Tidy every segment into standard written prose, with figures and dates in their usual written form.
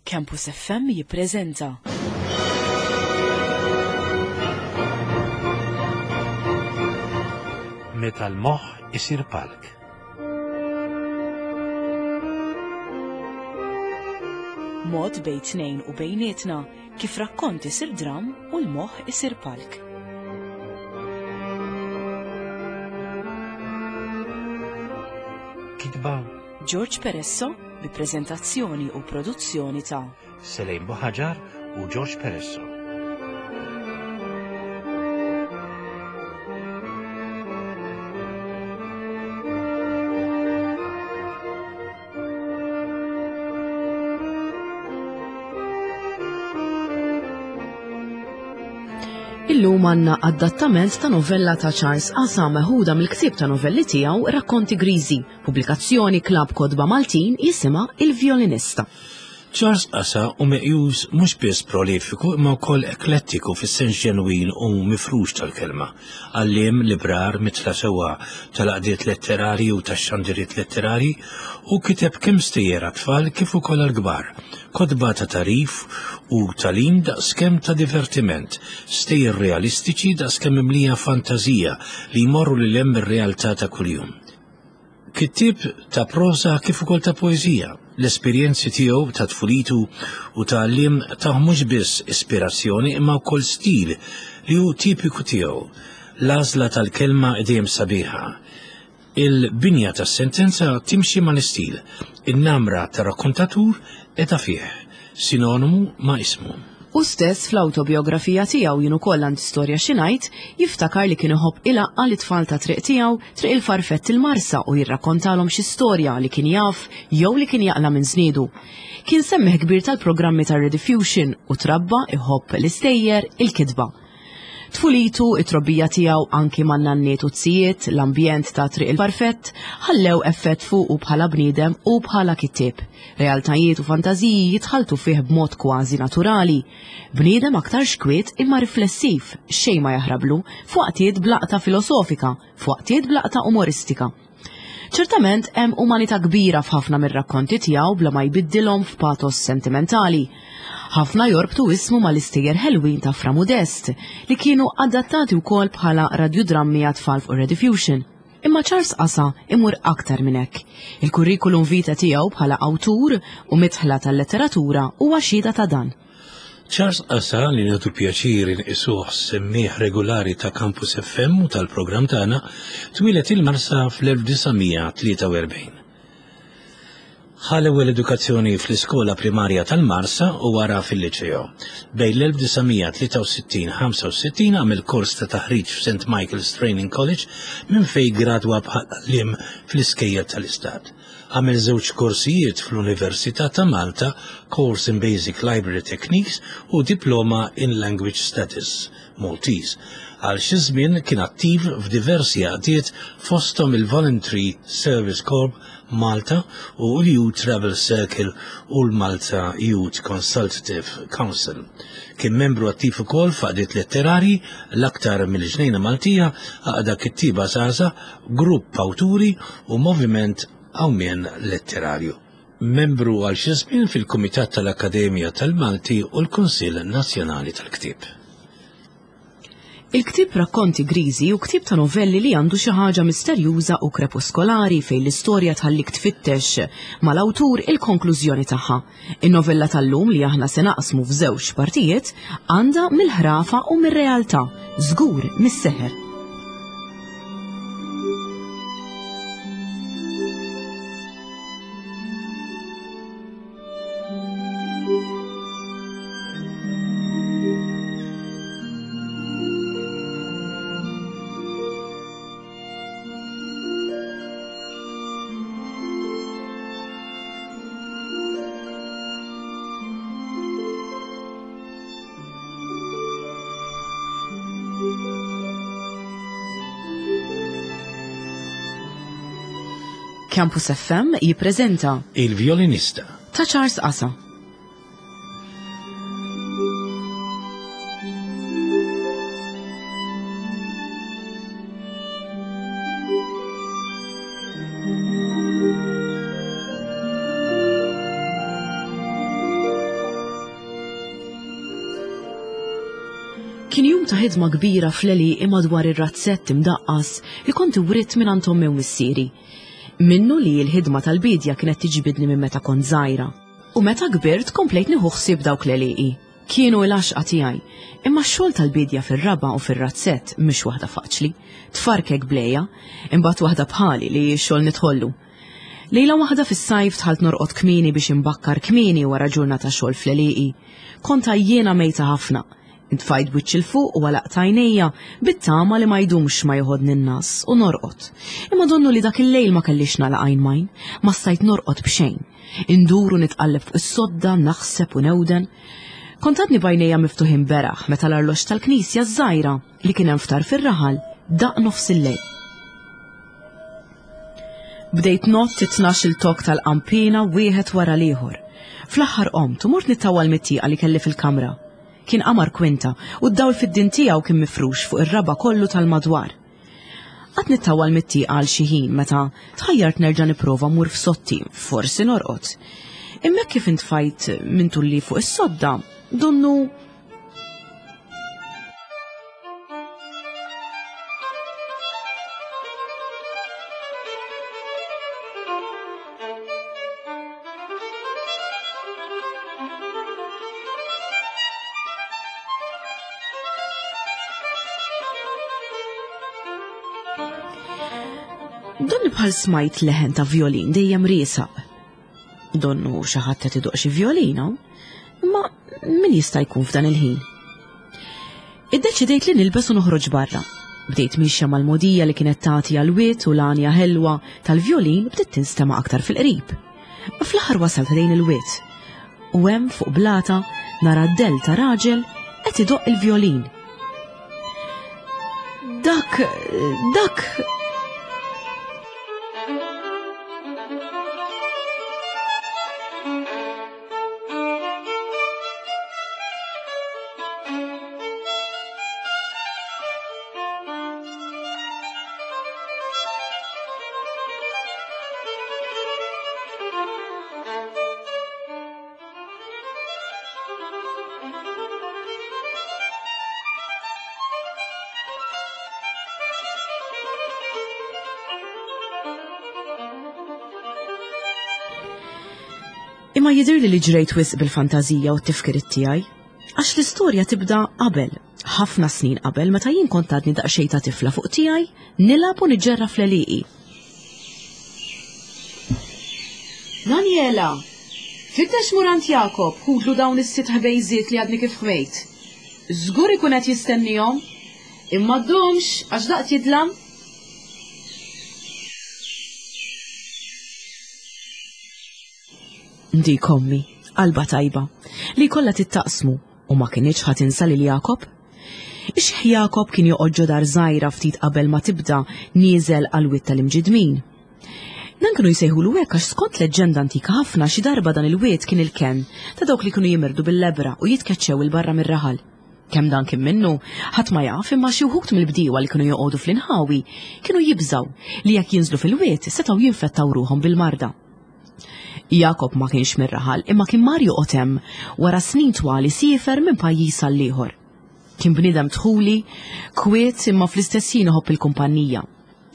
Campus FM jippreżenta. Meta l-moħħ isir palk. Mod bejn tnejn u bejnietna kif rakkont isir dram u l-moħħ isir palk. Kitba George Peresso bi preżentazzjoni u produzzjoni ta' Selejn Buħaġar u George Peresso. Illum għandna adattament ta' novella ta' Charles Asa meħuda mill-ktieb ta' novelli tiegħu Rakkonti Griżi, Pubblikazzjoni Klabb Kotba Maltin jisimha Il-Vjolinista. Charles Asa hu meqjus mhux biss prolifiku imma wkoll eklettiku fis-sens ġenwin u mifrux tal-kelma. Għalliem, librar, mitla sewwa tal-għaqdiet letterarji u tax-xandiriet letterarji, hu kiteb kemm stejjer għat-tfal kif ukoll għall-kbar, kotba ta' tagħrif u tagħlim daqskemm ta' divertiment, stejjer realistiċi daqskemm mimlija fantażija li jmorru lil hemm mir-realtà ta' kuljum. Kittieb ta' proża kif ukoll ta' poeżija. L-esperjenzi tiegħu ta' tfulitu u ta' għalliem tawh mhux biss ispirazzjoni imma wkoll stil li hu tipiku tiegħu. L-għażla tal-kelma dejjem sabiħa. Il-binja tas-sentenza timxi mal-istil. In-namra tar-rakkontatur qiegħda fih, sinonimu ma' ismu. Hu stess fl-awtobijografija tiegħu Jien ukoll għandi storja xi ngħid, jiftakar li kien iħobb ilaqqa' lit-tfal tat-triq tiegħu, Triq il-Farfett il-Marsa u jirrakkontalhom xi storja li kien jaf jew li kien jaqla' minn żniedu. Kien semmiegħ kbir tal-programmi tar-Rediffusion u trabba iħobb l-istejjer, il-kitba. Tfulitu, it-trobbija tiegħu anki man-nanniet u z-zijiet, l-ambjent ta' Triq il-Farfett, ħallew effett fuqu bħala bniedem u bħala kittieb. Realtajiet u fantażiji jitħalltu fih b'mod kważi naturali. Bniedem aktarx kwiet imma riflessiv, xejn ma jaħrablu, f'waqtiet b'laqta filosofika, f'waqtiet b'laqta umoristika. Ċertament hemm umanità kbira f'ħafna mir-rakkonti tiegħu bla ma jbiddilhom f'patos sentimentali. Ħafna jorbtu ismu mal-istejjer ħelwin ta' Fra Modest li kienu adattati wkoll bħala radjudrammi għat-tfal fuq Rediffusion. Imma Charles Asa imur aktar minn hekk. Il-kurrikulum vitae tiegħu bħala awtur u midħla tal-letteratura huwa xhieda ta' dan. Charles Asa, li nagħtu pjaċir inqisuh semmiegħ regulari ta' Campus FM u tal-programm tagħna, twieled il-Marsa fl-1943. Ħa l-ewwel edukazzjoni fl-iskola primarja tal-Marsa u wara fil-Liċeo. Bejn l-1963-65 għamel kors ta' taħriġ f'St Michael's Training College minn fejn gradwa bħala għalliem fl-iskejjel tal-Istat. Għamel żewġ korsijiet fl-Università ta' Malta, Course in Basic Library Techniques u Diploma in Language Studies, Maltese. Għal xi żmien kien attiv f'diversi għaqdiet fosthom il-Voluntary Service Corps Malta u l-Youth Travel Circle u l-Malta Youth Consultative Council. Kien membru attiv ukoll f'għaqdiet letterarji, l-aktar mill-Ġnejna Maltija, Għaqda Kittieba Żgħażagħ, Grupp Awturi u Moviment Qawmien Letterarju. Membru għal xi żmien fil-Kumitat tal-Akkademja tal-Malti u l-Kunsill Nazzjonali tal-Ktieb. Il-ktieb Rakkonti Griżi hu ktieb ta' novelli li għandu xi ħaġa misterjuża u krepuskolari fejn l-istorja tħallik tfittex mal-awtur il-konklużjoni tagħha. In-novella tal-lum li aħna se naqsmu f'żewġ partijiet għandha mill-ħrafa u mir-realtà, żgur mis-seħer. Campus FM jippreżenta Il-Violinista ta' Charles Asa. Kien jum ta' ħidma kbira fl-għelieqi madwar ir-razzett imdaqqas li kont iwritt mingħand ommi u missieri. Minnu li l-ħidma tal-biedja kienet tiġbidni minn meta kont żgħira. U meta kbirt komplejt nieħu ħsieb dawk l-għelieqi. Kienu l-għaxqa tiegħi. Imma x-xogħol tal-biedja fir-raba' u fir-razzett mhix waħda faċli. Tfarkek bl-għeja, imbagħad waħda bħali li x-xogħol nidħollu. Lejla waħda fis-sajf dħalt norqod kmieni biex inbakkar kmieni wara ġurnata xogħol fl-għelieqi. Kont għajjiena mejta ħafna. Intfajt b'wiċċi 'l fuq u għalaqt għajnejja bit-tama li ma jdumx ma joħodni n-ngħas u norqod. Imma donnu li dak il-lejl ma kellix nagħlaq għajn m'għajn, ma stajt norqod b'xejn. Indur u nitqalleb fuq is-sodda, naħseb u newden. Kont għadni b'għajnejja miftuħin beraħ meta l-arloġġ tal-knisja ż-żgħira li kien hemm f'tarf ir-raħal daqq nofsillejl. Bdejt ngħodd it-tnax-il tokk tal-qanpiena wieħed wara l-ieħor. Fl-aħħar qomt u mort nittawwal mit-tieqa li kelli fil-kamra. Kien qamar kwinta u d-dawl fid-din tiegħu kien mifrux fuq ir-raba' kollu tal-madwar. Qatt nittawwal mit-tieqa għal xi ħin meta tħajjart nerġa' nipprova mmur f'sotti, forsi norqod. Imma hekk kif intfajt minn tulli fuq is-sodda, donnu Donni bħal smajt leħen ta' violin dejjem riesaq. Donnu xi ħadd qed idoq xi violina, imma min jista' jkun f'dan il-ħin? Iddeċidejt li nilbes u noħroġ barra. Bdejt mixja mal-mogħdija li kienet tagħti għall-wied u l-għanja ħelwa tal-vjolin bdiet tinstema' aktar fil-qrib. Fl-aħħar wasalt ħdejn il-wied u hemm fuq blata nara d-dell ta' raġel qed idoqq il-vjolin. Dak, dak, Imma jidhirli li ġrejt wisq bil-fantażija u t-tifkiriet tiegħi. Għax l-istorja tibda qabel, ħafna snin qabel meta jien kont għadni daqsxejn ta' tifla fuq tiegħi nilgħab u niġġerra fl-għelieqi. Daniela! Fittex mur għand Jakob, ħudlu dawn is-sitt ħbejżiet li għadni kif ħmejt. Żgur ikun qed jistennihom. Imma ddumx, għax daqt jidlam. Dik ommi, qalbha tajba, li jkollha tittaqsmu u ma kinitx ħa tinsa lil Jakob. Ix-xiħ Jakob kien joqgħod ġo dar żgħira ftit qabel ma tibda nieżel għall-wied tal-Imġidmin. Dan kienu jsejħulu hekk għax skont leġġenda antika ħafna xi darba dan il-wied kien il-kenn ta' dawk li kienu jimirdu bil-lebbra u jitkeċċew 'il barra mir-raħal. Kemm dan kien minnu, ħadd ma jaf imma xi wħud mill-bdiewa li kienu joqogħdu fl-inħawi kienu jibżgħu li jekk jinżlu fil-wied setgħu jinfettaw ruħhom bil-marda. Jakob ma kienx mir-raħal imma kien mar joqgħod hemm wara snin twal isiefer minn pajjiż għal ieħor. Kien bniedem dħuli, kwiet imma fl-istess ħin iħobb il-kumpanija.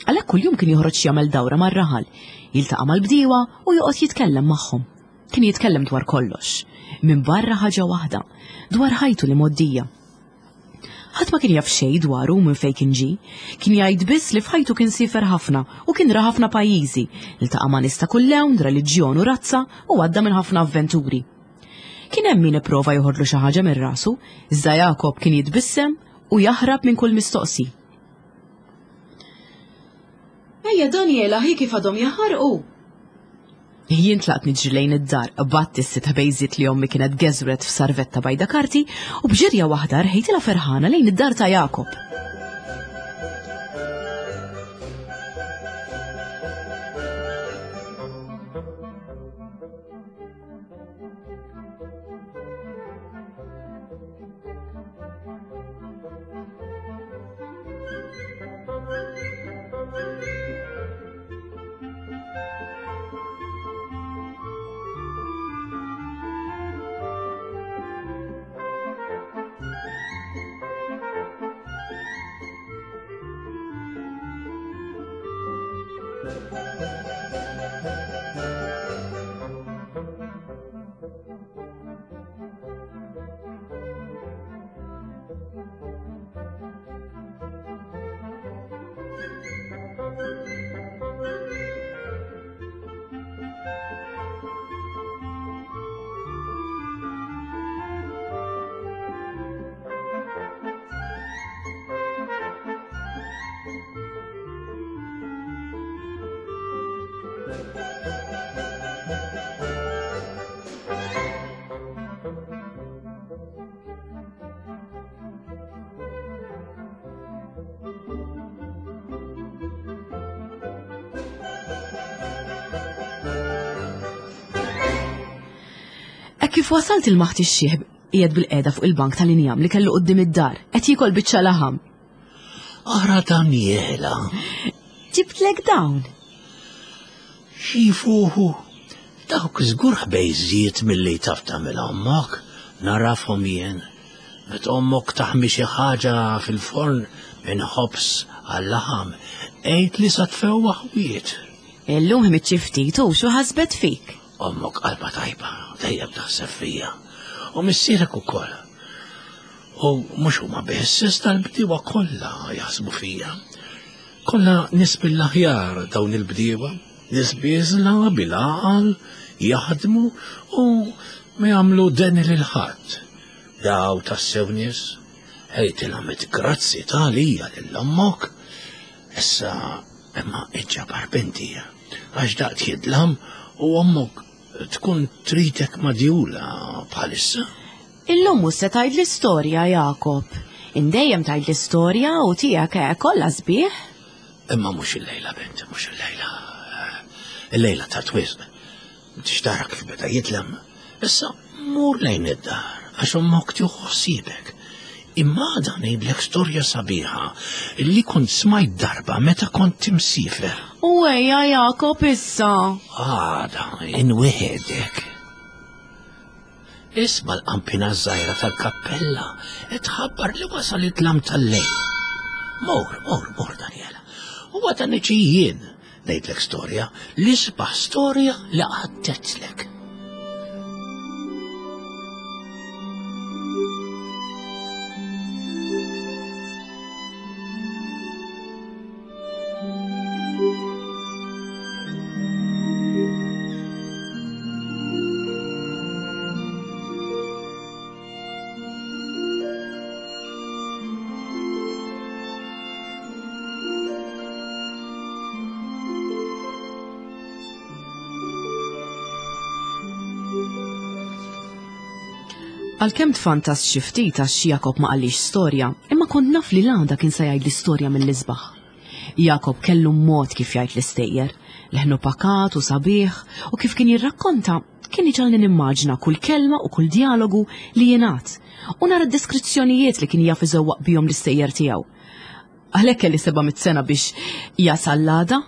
Għalhekk kuljum kien joħroġ jagħmel dawra mar-raħal, jiltaqa' mal-bdiewa u joqgħod jitkellem magħhom. Kien jitkellem dwar kollox, minbarra ħaġa waħda, dwar ħajtu l-imgħoddija. Ħadd ma kien jaf xejn dwaru minn fejn kien ġie. Kien jgħid biss li f'ħajtu kien siefer ħafna u kien ra ħafna pajjiżi, iltaqa' ma' nies ta' kull lewn, reliġjon u razza u għadda minn ħafna avventuri. Kien hemm min ipprova joħodlu xi ħaġa minn rasu, iżda Jakob kien jitbissem u jaħrab minn kull mistoqsi. Ejja Daniela, hi kif għadhom jaħarqu! Jien tlaqt niġri lejn id-dar, qbadt is-sitt ħbejżiet li ommi kienet geżwret f'sarvetta bajda karti u b'ġirja waħda rħejtilha ferħana lejn id-dar ta' Jakob. Hekk kif wasalt il-maħt ix-xieħ qiegħed bil-qiegħda fuq il-bank tal-injam li kellu quddiem id-dar, qed jiekol biċċa laħam. Ara Daniela. Ġibtlek dawn. Xifuħu, dawk żgur ħbejżiet milli taf tagħmel ommok, narafhom jien. Meta ommok taħmi xi ħaġa fil-forn minn ħobż għal-laħam, għid li sa tfewwaħ wied. Illum ħmidt xi ftit u xu ħasbet fik. Ommok qalba tajba, dejjem taħseb fija. U missierek ukoll. U mhux huma biss, iżda l-bdiewa kollha jaħsbu fija. Kollha nies mill-aħjar dawn il-bdiewa, nies bieżla, bil-għaqal, jaħdmu u ma jagħmlu deni lil ħadd. Daw tassew nies, għidilhom grazzi ta' għalija lil ommok. Issa imma iġġabar binti, għax daqt jidlam u ommok tkun tridek madjula bħalissa. Illum mhux se tgħid l-istorja, Jakob. Indejjem tgħid l-istorja u tiegħek eh, kollha sbieħ. Imma mhux illejla, bint, mhux illejla. Illejla ta' twisq. Tixtara kif beda jidlam. Issa mur lejn id-dar għax ommok tieħu ħsiebek. Imma għada ngħidlek storja sabiħa li kont smajt darba meta kont imsiefer. U ejja Jakob issa. Għada inwieħedek. Isma' l-qampina żgħira tal-kappella qed tħabbar li wasal id-dlam tal-lejl. Mor, mor, mor Daniela. U għada niġi jien ngħidlek storja, l-isbaħ storja li qatt Għalkemm tfantast xi ftit għax Jakob ma qalix storja, imma kont naf li l-għada kien se jgħidli storja mill-isbaħ. Jakob kellu mod kif jgħid l-istejjer, leħnu pakat u sabiħ u kif kien jirrakkonta kien iġalni nimmaġna kull kelma u kull dialogu li jingħad u nara d-deskrizzjonijiet li kien jaf iżewwaq bihom l-istejjer tiegħu. Għalhekk kelli 700 sena biex jasal l-għada.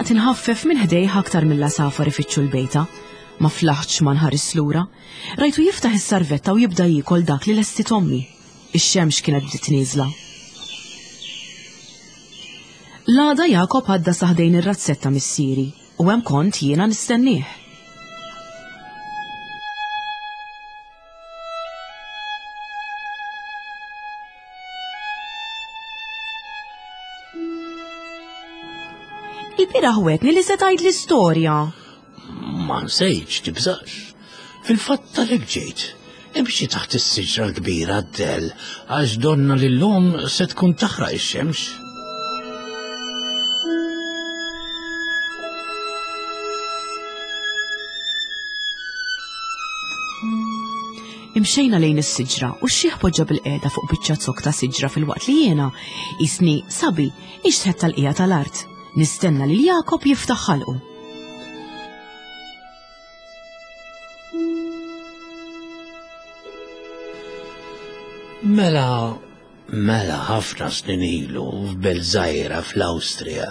Tlaqt inħaffef minn ħdejh aktar mill-għasafar ifittxu l-bejta. Ma flaħtx ma nħares lura. Rajtu jiftaħ is-sarvetta u jibda jiekol dak li lestiet ommi. Ix-xemx kienet bdiet nieżla. L-għada Jakob għadda sa ħdejn ir-razzett ta' missieri u hemm kont jiena nistennieh. Il-bieraħ wegħedni li se tgħidli storja. Ma nsejtx, tibżax. Fil-fatt għalhekk ġejt. Imxi taħt is-siġra l-kbira d-dell għax donna li llum se tkun taħraq ix-xemx. Imxejna lejn is-siġra u x-xiħ poġġa bil-qiegħda fuq biċċa zokk ta' siġra filwaqt li jiena, qisni sabi, inxtħett tal-qiegħa tal-art, nistenna lil Jakob jiftaħ ħalqu. Mela, mela ħafna snin ilu f'belt żgħira fl-Awstrija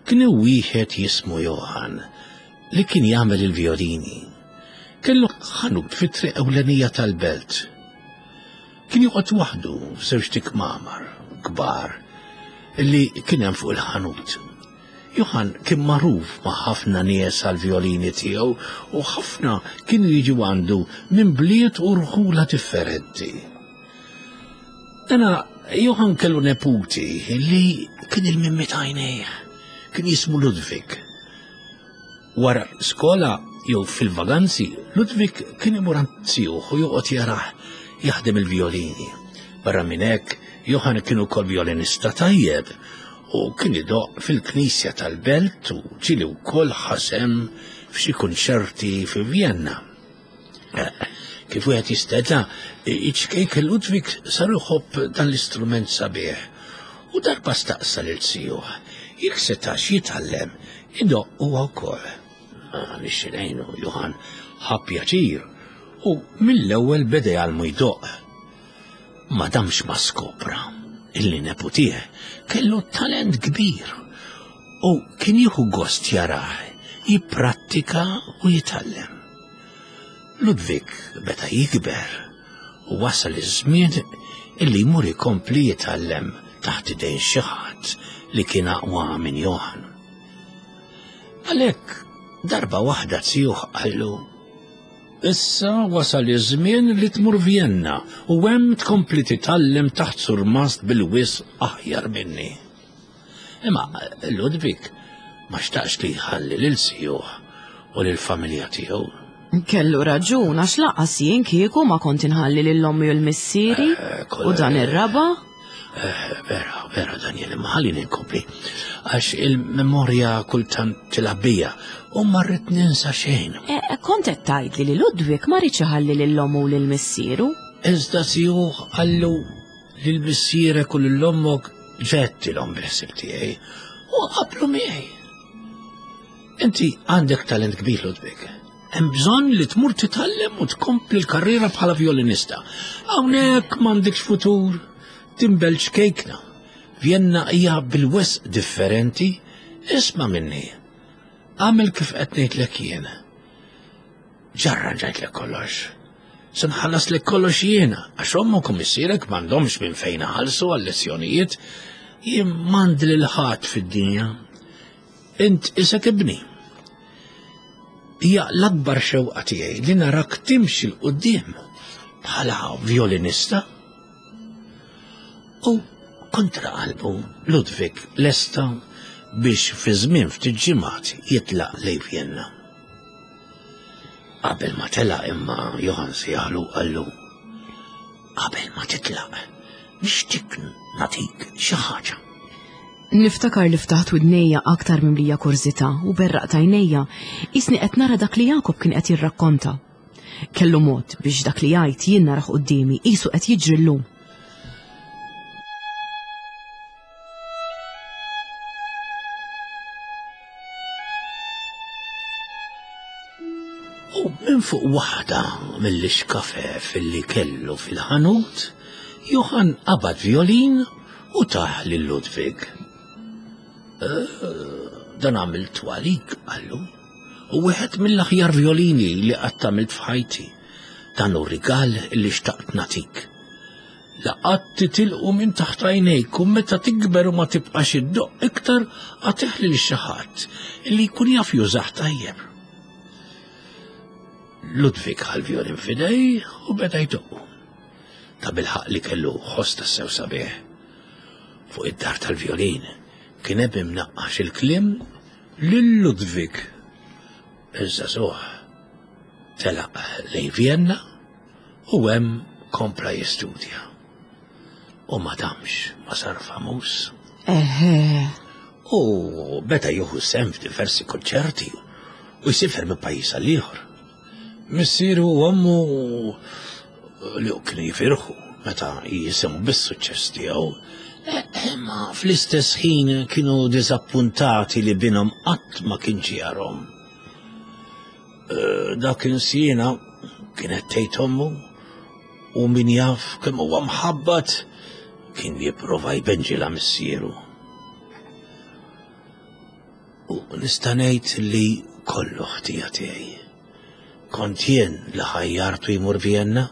kien hemm wieħed jismu Johann li kien jagħmel il-vjolini. Kellu ħanut fit-triq ewlenija tal-belt. Kien joqgħod waħdu f'żewġt ikmamar kbar li kien hemm fuq il-ħanut. Johann kien magħruf ma' ħafna nies għall-vjolini tiegħu u ħafna kienu jiġu għandu minn bliet u rħula differenti. Dana Johann kellu neputi li kien il-mimmi t'għajnejh, kien jismu Ludwig. Wara skola jew fil-vaganzi, Ludwig kien imur għand zijuh u joqgħod jarah jaħdem il-vjolini. Barra minn hekk, Johann kien ukoll vjolinista tajjeb u kien idoqq fil-knisja tal-belt u ġieli wkoll ħa sehem f'xi kunċerti fi Vjenna. Kif wieħed jisteta, iċ-ċkejken Ludwig sar iħobb dan l-istrument sabiħ u darba staqsa lil zijuh jekk setax jitgħallem idoqq huwa wkoll. Għaliex ngħinu, Johann ħa pjaċir u mill-ewwel beda jgħallmu jdoqq. Ma damx ma skopra illi neputih kellu talent kbir u kien jieħu gost jarah jipprattika u jitgħallem. Ludwig beda jikber u wasal iż-żmien illi jmur ikompli jitgħallem taħt idejn xi ħadd li kien aqwa minn Johann. Għalhekk darba waħda zijuh qallu Issa wasal iż-żmien li tmur Vjenna u hemm tkompli titgħallem taħt surmast bil-wisq aħjar minni. Imma Ludwig ma xtaqx li jħalli lil sijuh u lill-familja tiegħu. Kellu raġun għax laqas jien kieku ma kont inħalli lil ommi u l-missieri eh, u dan ir-raba'. Eh, vera, vera Daniel, imma ħallini nkompli. Għax il-memorja kultant tilgħab bija u ma rrid ninsa xejn. Eh, kont qed tgħidli li Ludwig ma rridx iħalli lil ommu u lil missieru. Iżda sijuh qallu lil missierek u lil ommok ġedtilhom bil-ħsieb tiegħi u qablu miegħi. Inti għandek talent kbir Ludwig. Hemm bżonn li tmur titgħallem u tkompli l-karriera bħala violinista. Hawnhekk m'għandekx futur, tinbel ċkejkna. Vjenna hija bil-wisq differenti, isma' minni. Agħmel kif qed ngħidlek jien. Ġarranġajtlek kollox. Se nħallaslek kollox jiena, għax ommok u missierek m'għandhomx minn fejn iħallsu għal-lezzjonijiet. Jien m'għandi lil ħadd fid-dinja. Int isek ibni. Hija l-akbar xewqa tiegħi li narak timxi 'l quddiem bħala violinista. U kontra qalbu Ludwig lesta biex fi żmien ftit ġimgħat jitlaq lejn Vienna. Qabel ma telaq imma Johann sejjaħlu qallu, Qabel ma titlaq, nixtieq nagħtik xi ħaġa. Niftakar li ftaħt widnejja aktar mimlija kurżità u berraqt għajnejja, qisni qed nara dak li Jakob kien qed jirrakkonta. Kellu mod biex dak li jgħid jien narah quddiemi qisu qed jiġri llum. U minn fuq waħda mill-ixkafef li kellu fil-ħanut, Johann qabad violin u tah lil Ludwig. Eh, dan għamiltu għalik, qallu. U wieħed mill-aħjar violini li qatt għamilt f'ħajti. Dan hu rigal li xtaqt nagħtik. La qatt titilqu minn taħt għajnejk u meta tikber u ma tibqax iddoqq iktar agħtih lil xi ħadd li jkun jaf jużah tajjeb. Ludwig ħa l-vjolin f'idejh u beda jdoqqu. Ta' bilħaqq li kellu ħoss tassew sabiħ. Fuq id-dar tal-vjolin kien hemm imnaqqax il-kliem lil Ludwig. Iż-żagħżugħ telaq lejn Vienna U hemm kompla jistudja. U ma damx ma sar famuż. Eħe. U beda jieħu sehem f'diversi konċerti u jsifer minn pajjiż għal ieħor. Missieru u ommu Li kienu jifirħu meta jisimgħu bis-suċċess tiegħu. Imma fl-istess ħin kienu diżappuntati li binhom qatt ma kien ġijarhom. Eh, dak insiena kienet tgħid ommu u min jaf kemm huwa mħabbat kien jipprova jbenġilha missieru. U nista' ngħid li kollu ħtija tiegħi. Kont jien li ħajjartu jmur Vienna,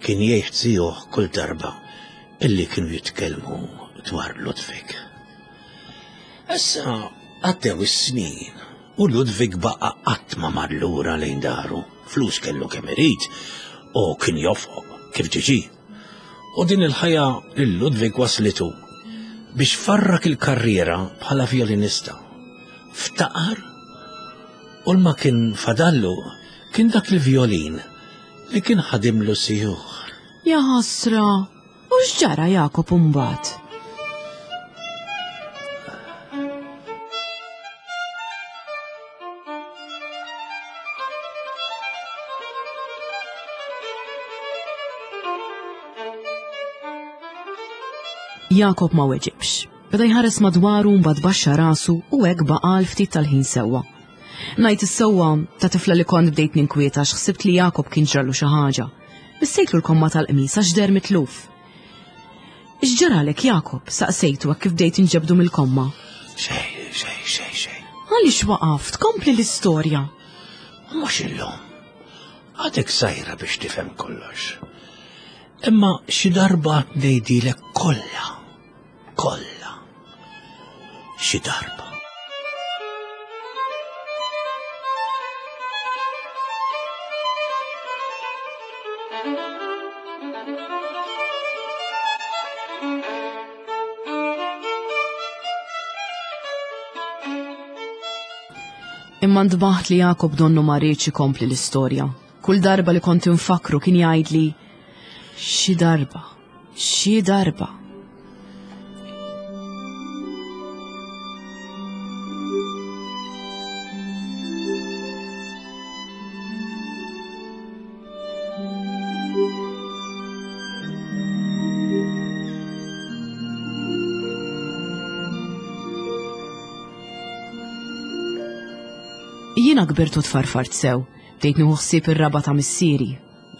kien jgħid zijuh kull darba illi kienu jitkellmu dwar Ludwig. Issa għaddew is-snin u Ludwig baqa' qatt ma mar lura lejn daru, flus kellu kemm irid u kien jofoq kif ġiġi. U din il-ħajja lil Ludwig waslitu biex farrak il-karriera bħala vjolinista. Ftaqar u l-ma kien fadallu kien dak il-vjolin li kien ħadimlu sijuh. Ja ħasra, u x'ġara Jakob imbagħad? Jakob ma weġibx. Beda jħares madwaru mbagħad baxxa rasu u hekk baqa' għal ftit tal-ħin sewwa. Ngħid is-sewwa ta' tifla li kont bdejt ninkwieta għax ħsibt li Jakob kien ġralu xi ħaġa. Missejtlu l-komma tal-qmis għax deher mitluf. X'ġaralek Jakob? saqsejtu hekk kif bdejt inġebdu mill-komma. Xejn, xejn, xejn, xejn. Għaliex waqaft? Kompli l-istorja. Mhux illum. Għadek żgħira biex tifhem kollox. Imma xi darba ngħidilek kollha. Kollha. Xi darba. Imma ntbaħt li Jakob donnu ma riedx ikompli l-istorja. Kull darba li kont infakru kien jgħidli xi darba, xi darba. Jiena kbirt u tfarfart sew, bdejt nieħu ħsieb ir-raba' ta' missieri.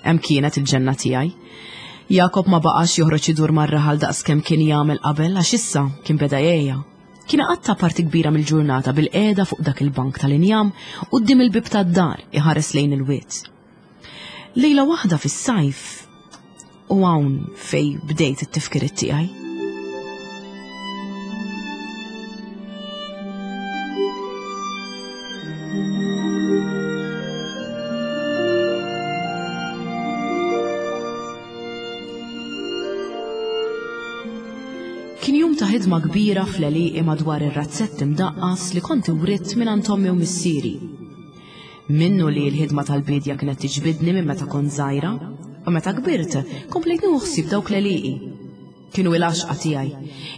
Hemm kienet il-ġenna tiegħi. Jakob ma baqax joħroġ idur mar-raħal daqskemm kien jagħmel qabel għax issa kien beda jgħejja. Kien iqatta' parti kbira mill-ġurnata bil-qiegħda fuq dak il-bank tal-injam quddiem il-bieb tad-dar iħares lejn il-wied. Lejla waħda fis-sajf u hawn fej bdejt it-tifkiriet tiegħi. Kien jum ta' ħidma kbira fl-għelieqi madwar ir-razzett imdaqqas li kont iwritt mingħand ommi u missieri. Minnu li l-ħidma tal-biedja kienet tiġbidni minn meta kont żgħira, u meta kbirt komplejt nieħu ħsieb dawk l-għelieqi. Kienu il-għaxqa tiegħi.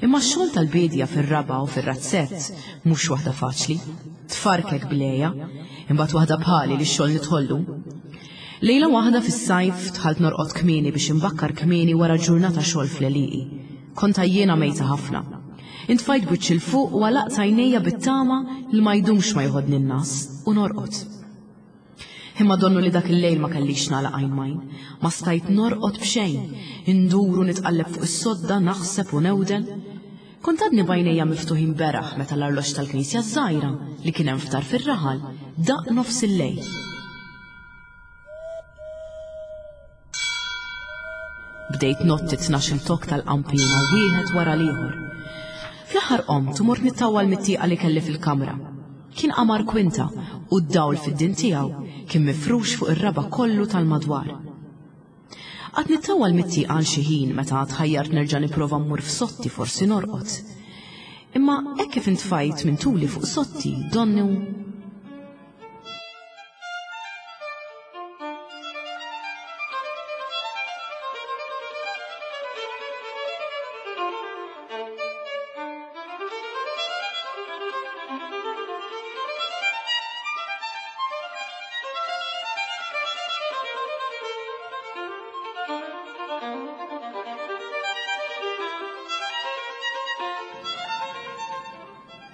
Imma x-xogħol tal-biedja fir-raba' u fir-razzett mhux waħda faċli. Tfarkek bl-għeja, imbagħad waħda bħali li x-xogħol nidħollu. Lejla waħda fis-sajf dħalt norqod kmieni biex inbakkar kmieni wara ġurnata xogħol fl-għelieqi. Kont għajjiena mejta ħafna. Intfajt b'wiċċi 'l fuq u għalaqt għajnejja bit-tama li ma jdumx ma joħodni n-ngħas u norqod. Imma donnu li dak il-lejl ma kellix nagħlaq għajn m'għajn. Ma stajt norqod b'xejn. Indur u nitqalleb fuq is-sodda, naħseb u newden. Kont għadni b'għajnejja miftuħin beraħ meta l-arloġġ tal-knisja ż-żgħira li kien hemm f'tarf ir-raħal daqq nofs il-lejl. Bdejt ngħodd it-tnax-il tokk tal-qanpiena wieħed wara l-ieħor. Fl-aħħar qomt u mort nittawwal mit-tieqa li kelli fil-kamra. Kien qamar kwinta u d-dawl fid-din tiegħu kien mifrux fuq ir-raba' kollu tal-madwar. Qgħadt nittawwal mit-tieqa għal xi ħin meta tħajjart nerġa' nipprova mmur f'sotti forsi norqod. Imma hekk kif intfajt minn tuli fuq sotti donnu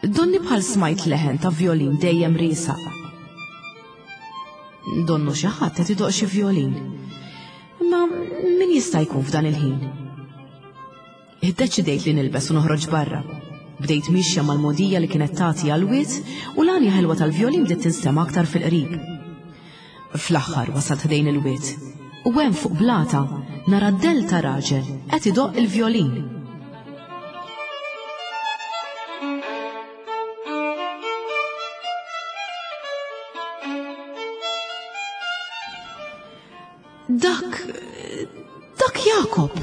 Donni bħal smajt leħen ta' vjolin dejjem riesaq. Donnu xi ħadd qed idoq xi vjolin. Imma min jista' jkun f'dan il-ħin? Iddeċidejt li nilbes u noħroġ barra. Bdejt mixja mal-mogħdija li kienet tagħti għall-wied u l-għanja ħelwa tal-vjolin bdiet tinstema' aktar fil-qrib. Fl-aħħar wasalt ħdejn il-wied u hemm fuq blata nara d-dell ta' raġel qed idoqq il-vjolin. Dak, dak Jakob!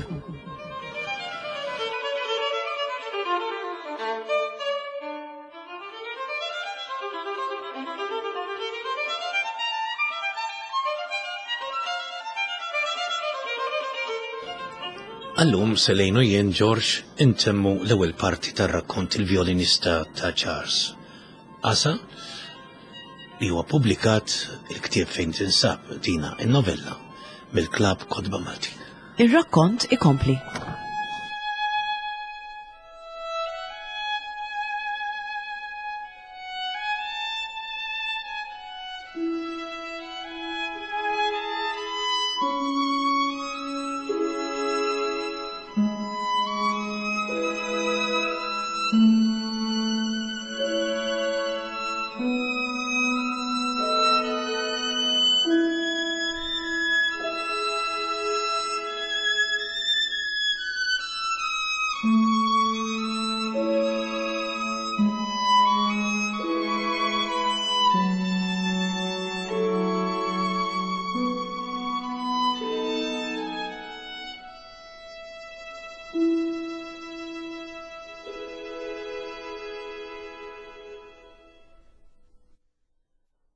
Allum Selejn u jien Ġorġ intemmu l-ewwel parti tar-rakkont il-vjolinista ta' Charles. Asa li huwa ppubblikat il-ktieb fejn tinsab dina in-novella mill-Klabb Kotba Maltin. Ir-rakkont ikompli.